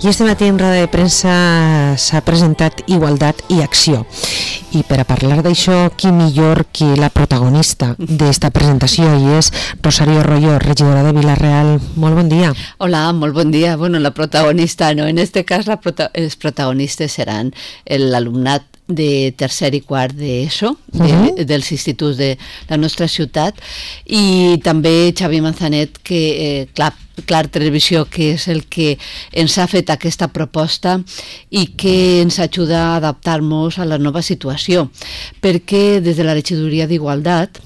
I este matí en roda de premsa s'ha presentat Igualtat i Acció. I per a parlar d'això, qui millor que la protagonista d'esta presentació, i és Rosario Royo, regidora de Vila-real. Molt bon dia. Hola, molt bon dia. Bueno, la protagonista no, en este cas els protagonistes seran l'alumnat de tercer i quart d'ESO, dels instituts de la nostra ciutat, i també Xavi Manzanet, que Clar Televisió, que és el que ens ha fet aquesta proposta i que ens ajuda a adaptar-nos a la nova situació, perquè des de la regidoria d'Igualtat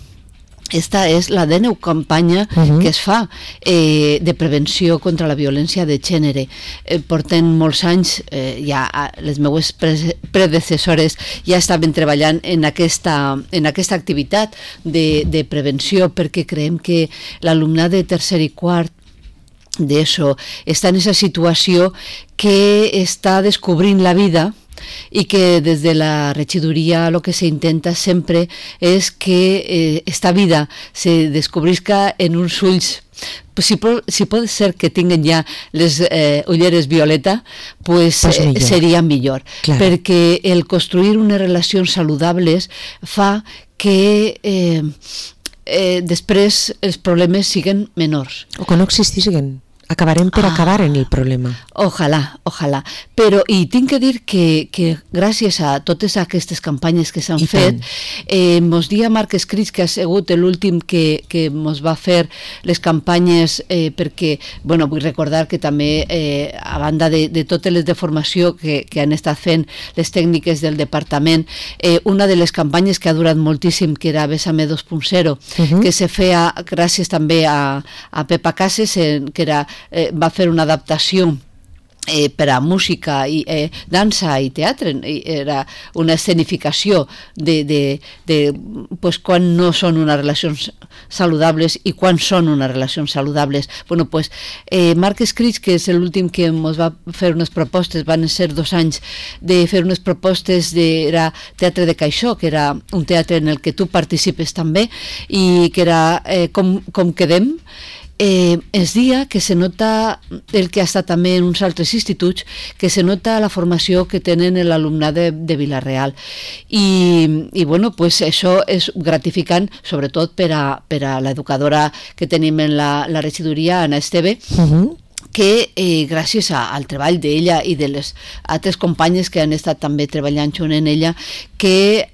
esta és la 19 campanya que es fa de prevenció contra la violència de gènere. Porten molts anys, ja les meues predecessores ja estaven treballant en aquesta activitat de prevenció, perquè creiem que l'alumnat de tercer i quart d'ESO està en aquesta situació que està descobrint la vida, i que des de la regidoria el que s'intenta sempre és que esta vida se descobrisca en uns ulls. Si pot ser que tinguen ja les ulleres violeta, pues seria millor, perquè el construir unes relacions saludables fa que després els problemes siguin menors. O que no existissin. Acabarem per acabar en el problema. Ojalà. Però, i tinc que dir que gràcies a totes aquestes campanyes que s'han fet, mos dia Marc Escrits, que ha sigut l'últim que mos va fer les campanyes, perquè, bueno, vull recordar que també, a banda de totes les de formació que han estat fent les tècniques del departament, una de les campanyes que ha durat moltíssim, que era Bésame 2.0, que se feia gràcies també a Pepa Cases, que era va fer una adaptació per a música, i dansa i teatre, era una escenificació de quan no són unes relacions saludables i quan són unes relacions saludables. Bueno, pues Marc Escrits, que és l'últim que ens va fer unes propostes, van ser 2 anys de fer unes propostes, era Teatre de Caixó, que era un teatre en el que tu participes també, i que era Com quedem. Es dia que se nota el que ha estat també en uns altres instituts, que se nota la formació que tenen l'alumnat de Vila-real, i bueno, pues això és gratificant, sobretot per a l'educadora que tenim en la regidoria, Anna Esteve, que gràcies al treball d'ella i de les altres companyes que han estat també treballant junt en ella, que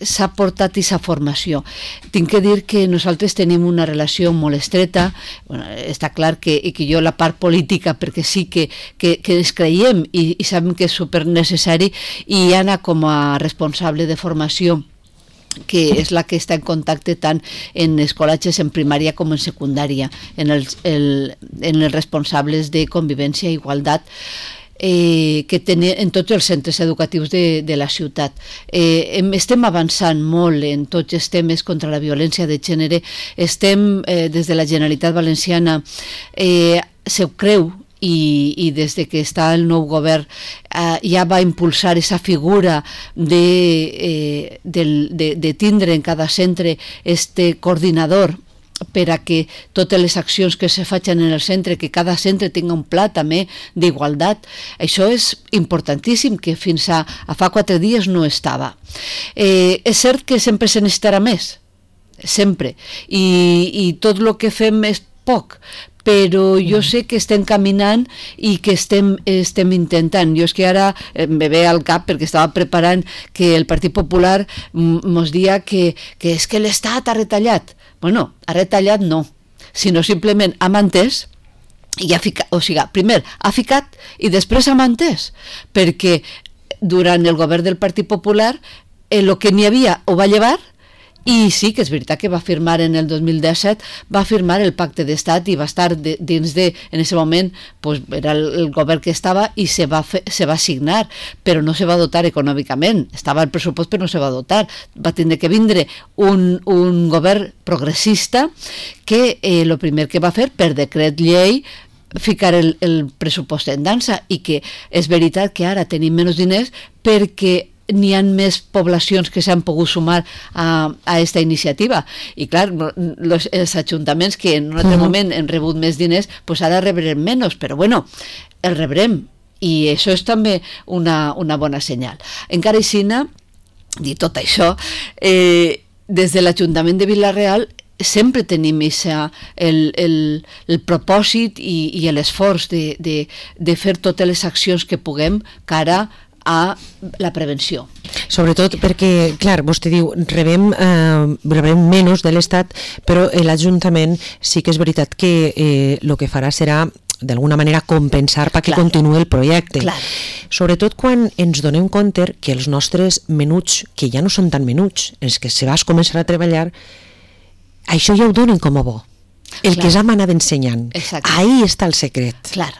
s'ha portat aquesta formació. Tinc que dir que nosaltres tenim una relació molt estreta, bueno, està clar que jo la part política, perquè sí que ens creiem i sabem que és supernecessari, i Anna com a responsable de formació, que és la que està en contacte tant en escolatges en primària com en secundària, en els responsables de convivència i igualtat, que tenen en tots els centres educatius de la ciutat. Estem avançant molt en tots els temes contra la violència de gènere. Estem, des de la Generalitat Valenciana, se ho creu, i des de que està el nou govern ja va impulsar aquesta figura de tindre en cada centre este coordinador per a que totes les accions que se facin en el centre, que cada centre tingui un pla també d'igualtat. Això és importantíssim, que fins a fa 4 dies no estava. És cert que sempre se necessitarà més, sempre, i tot el que fem és poc, però jo sé que estem caminant i que estem intentant. Jo és que ara me ve al cap, perquè estava preparant, que el Partit Popular mos dia que és que l'Estat ha retallat. Bueno, ha retallat no, sinó simplement ha mantès i ha ficat, o sigui, primer ha ficat i després ha mantès, perquè durant el govern del Partit Popular el que n'hi havia ho va llevar. I sí que és veritat que va firmar en el 2017, va firmar el pacte d'estat i va estar dins de, en aquest moment, pues, era el govern que estava i se va signar, però no se va dotar econòmicament. Estava el pressupost però no se va dotar. Va tindre que vindre un govern progressista que el primer que va fer, per decret llei, ficar el pressupost en dansa, i que és veritat que ara tenim menys diners perquè n'hi ha més poblacions que s'han pogut sumar a aquesta iniciativa, i clar, els ajuntaments que en un altre moment han rebut més diners, pues ara rebrem menys, però bueno, el rebrem, i això és també una bona senyal. Encara així, dit tot això, des de l'Ajuntament de Vila-real sempre tenim el propòsit i l'esforç de fer totes les accions que puguem cara a la prevenció. Sobretot perquè, clar, vostè diu, rebem menys de l'Estat, però l'Ajuntament sí que és veritat que el que farà serà d'alguna manera compensar perquè continuï el projecte. Clar. Sobretot quan ens donem compte que els nostres menuts, que ja no són tan menuts, els que se vas començar a treballar, això ja ho donen com a bo. El que ja m'anava ensenyant. Exacte. Ahí està el secret. Clar.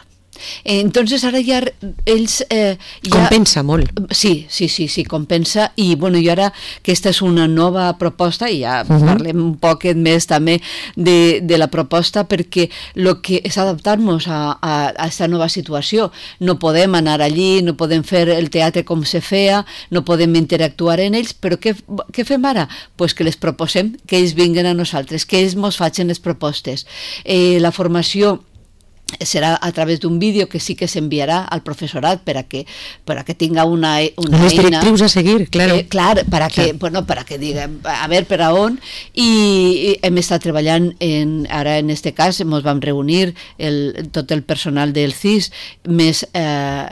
Entonces ara ja ells compensa molt. Sí, compensa, i bueno, i ara aquesta és una nova proposta i ja parlem un poquet més també de la proposta, perquè el que és adaptar-nos a aquesta nova situació. No podem anar allí, no podem fer el teatre com se feia, no podem interactuar en ells, però què fem ara? Pues que les proposem, que ells vinguen a nosaltres, que ells mos facin les propostes. La formació serà a través d'un vídeo que sí que s'enviarà al professorat per a que tinga una eina. Les directrius a seguir, claro. Clar, para que diguem, a veure per a on, i hem estat treballant ara en este cas, ens vam reunir tot el personal del CIS, més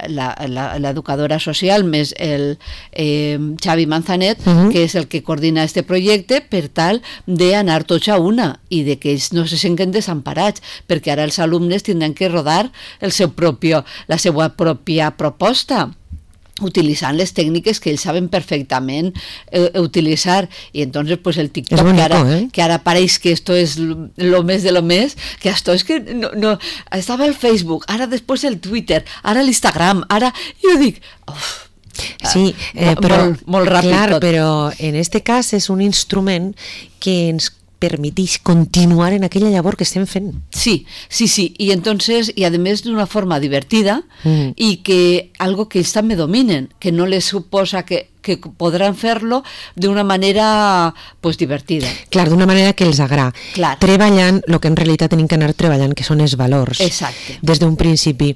l'educadora social, més el Xavi Manzanet, que és el que coordina este projecte, per tal d'anar tots a una i de que ells no se senten desemparats, perquè ara els alumnes tindran que rodar la seva pròpia proposta, utilitzant les tècniques que ells saben perfectament utilitzar, i entonces pues el TikTok bonito, que ara pareix que esto es lo més de lo més, que esto es que no estava el Facebook, ara després el Twitter, ara l'Instagram, ara jo dic sí, però molt ràpid clar, tot. Però en este cas és un instrument que ens permitís continuar en aquella llavor que estem fent. Sí, y entonces, y además de una forma divertida, y que algo que ells també dominen, que no les suposa que podran fer-lo d'una manera pues divertida. Clar, d'una manera que els agrada. Clar. Treballant el que en realitat tenim que anar treballant, que són els valors. Exacte. Des d'un principi.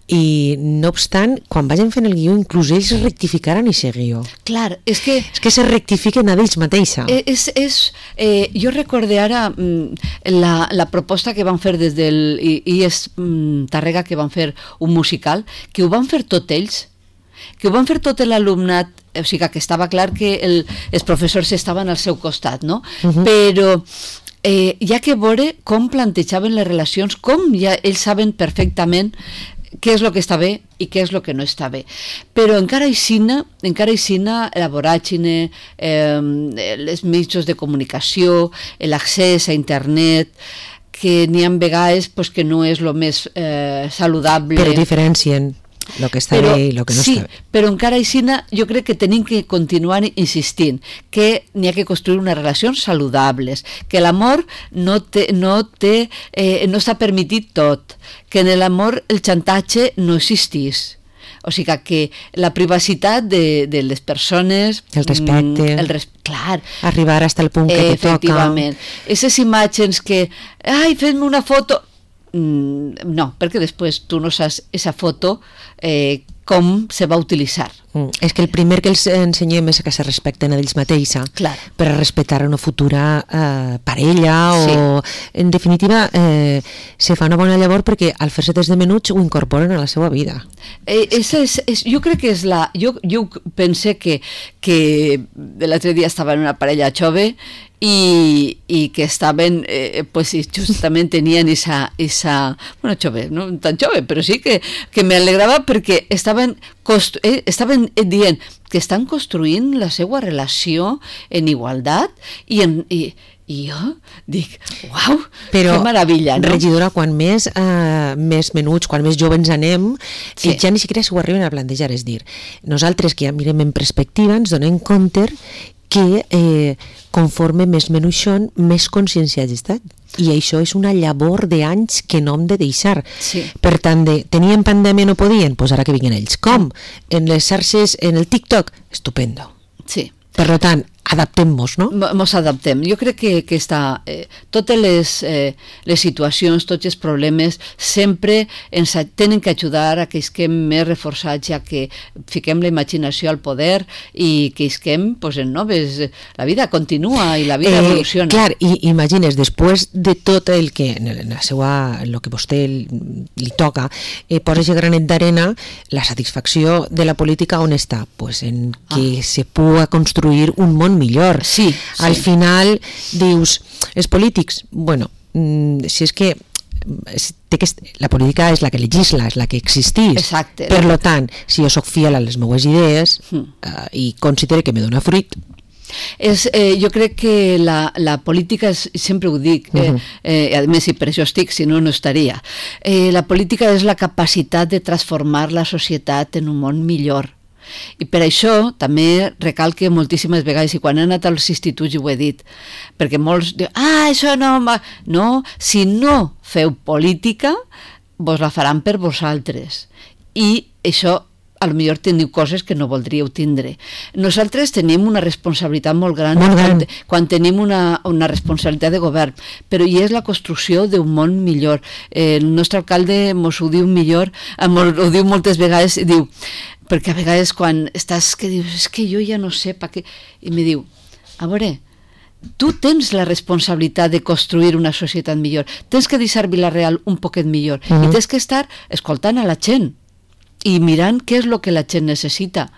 I no obstant, quan vagin fent el guió, inclús ells rectificaran aquest guió. Clar, és que se rectifiquen a ells mateixa. Jo recorde ara la proposta que van fer des del IES Tàrrega, que van fer un musical, que ho van fer tot ells, que ho van fer tot l'alumnat, o sigui que estava clar que els professors estaven al seu costat, no? Però hi ha que veure com plantejaven les relacions, com ja ells saben perfectament què és el que està bé i què és el que no està bé. Però encara aixina la voràgine, els mitjans de comunicació, l'accés a internet, que n'hi ha vegades pues, que no és el més saludable. Però diferencien el que està bé i el que no està bé. Sí, però encara així jo crec que tenim que continuar insistint que n'hi ha que construir unes relacions saludables, que l'amor no està permitit tot, que en l'amor el xantatge no existís. O sigui que la privacitat de les persones, el respecte, clar, arribar fins al punt que te toca. Efectivament. Aquestes imatges que, fes-me una foto... No, perquè després tu no saps aquesta foto com se va utilitzar. És que el primer que els ensenyem és que se respecten a ells mateixa, per a respectar una futura parella, o en definitiva se fa una bona llavor perquè al fer-se des de menuts ho incorporen a la seva vida. Jo crec que és jo pense que l'altre dia estava en una parella jove i que estaven pues justament tenien esa bueno, jove, no tan jove, però sí que me alegrava perquè estaven dient que estan construint la seva relació en igualtat i jo dic, uau, que meravella, no? Regidora, quan més menuts, quan més joves anem, ja ni siquiera s'ho arriben a plantejar, és dir, nosaltres que ja mirem en perspectiva ens donem compte que conforme més menuixón, més conscienciats estan. I això és una llavor d'anys que no hem de deixar. Per tant, tenien pandèmia, no podien? Doncs ara que vinguin ells. Com? En les xarxes, en el TikTok? Estupendo. Sí. Per tant, adaptem-nos, no? Mos adaptem. Jo crec que totes les situacions, tots els problemes, sempre ens tenen que ajudar a que isquem més reforçats, ja que fiquem la imaginació al poder i que isquem en noves... La vida continua i la vida evoluciona. Clar, i imagines, després de tot el que el que vostè li toca, posa aquest granet d'arena, la satisfacció de la política on està? Pues en que se pugui construir un món millor. Sí. Al final dius, els polítics, bueno, si és que la política és la que legisla, és la que existís. Exacte. Per lo tant, si jo soc fiel a les meves idees i considero que me dona fruit, jo crec que la política, sempre ho dic, a més, i per això estic, si no, no estaria. La política és la capacitat de transformar la societat en un món millor. I per això també recalque moltíssimes vegades, i quan he anat als instituts ho he dit, perquè molts diuen, això no... No, si no feu política, vos la faran per vosaltres. I això, a lo millor teniu coses que no voldríeu tindre. Nosaltres tenim una responsabilitat molt gran, quan tenim una responsabilitat de govern, però hi és la construcció d'un món millor. El nostre alcalde mos ho diu millor, ho diu moltes vegades, i diu, perquè a vegades quan estàs que dius, és que jo ja no sé per què, i me diu, a veure, tu tens la responsabilitat de construir una societat millor, tens que deixar Vila-real un poquet millor, i tens que estar escoltant a la gent i mirant què és el que la gent necessita.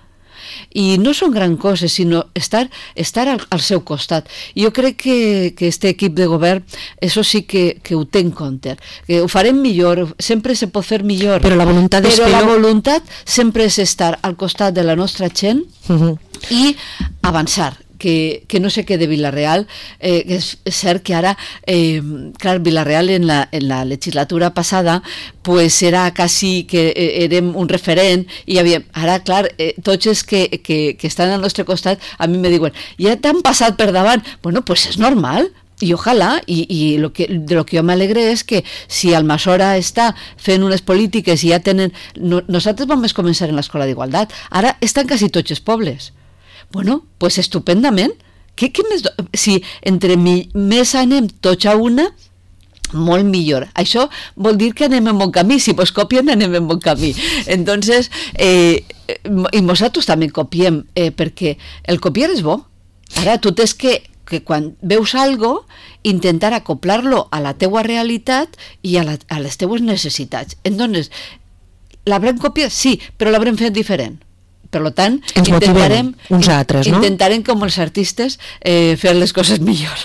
I no són gran coses, sinó estar al seu costat. Jo crec que este equip de govern, això sí que ho té en compte, que ho farem millor, sempre se pot fer millor, però la voluntat sempre és estar al costat de la nostra gent i avançar, que no se quede Vila-real. És cert que ara, clar, Vila-real en la legislatura passada pues era quasi que érem un referent, i ara, clar, tots els que estan al nostre costat a mi me diuen, ja t'han passat per davant. Bueno, pues és normal, i ojalà, i de lo que jo m'alegre és que si Almassora està fent unes polítiques i ja tenen... Nosaltres vam començar en l'escola d'igualtat, ara estan quasi tots els pobles. Bueno, pues estupendament. Què més? Si entre més anem tots a una, molt millor. Això vol dir que anem en bon camí. Si vos copien, anem en bon camí. Entonces, i nosaltres també copiem, perquè el copiar és bo. Ara, tu tens que quan veus algo, intentar acoplar-lo a la teua realitat i a les teues necessitats. Entonces, l'haurem copiat? Sí, però l'haurem fet diferent. Per tant, intentarem com els artistes fer les coses millor.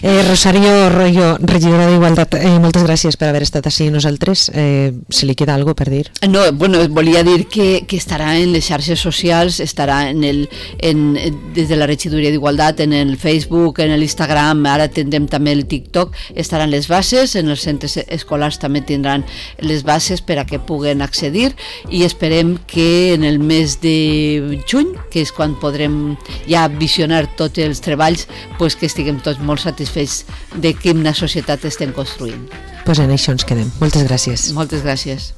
Rosario Royo, regidora d'Igualtat, moltes gràcies per haver estat així nosaltres. Se li queda alguna cosa per dir? No, bueno, volia dir que estarà en les xarxes socials, estarà des de la regidoria d'Igualtat, en el Facebook, en l'Instagram, ara tindrem també el TikTok, estaran les bases, en els centres escolars també tindran les bases per a que puguen accedir, i esperem que en el mes de juny, que és quan podrem ja visionar tots els treballs, pues que estiguem tots molt satisfets de quina societat estem construint. Pues en això ens quedem. Moltes gràcies. Moltes gràcies.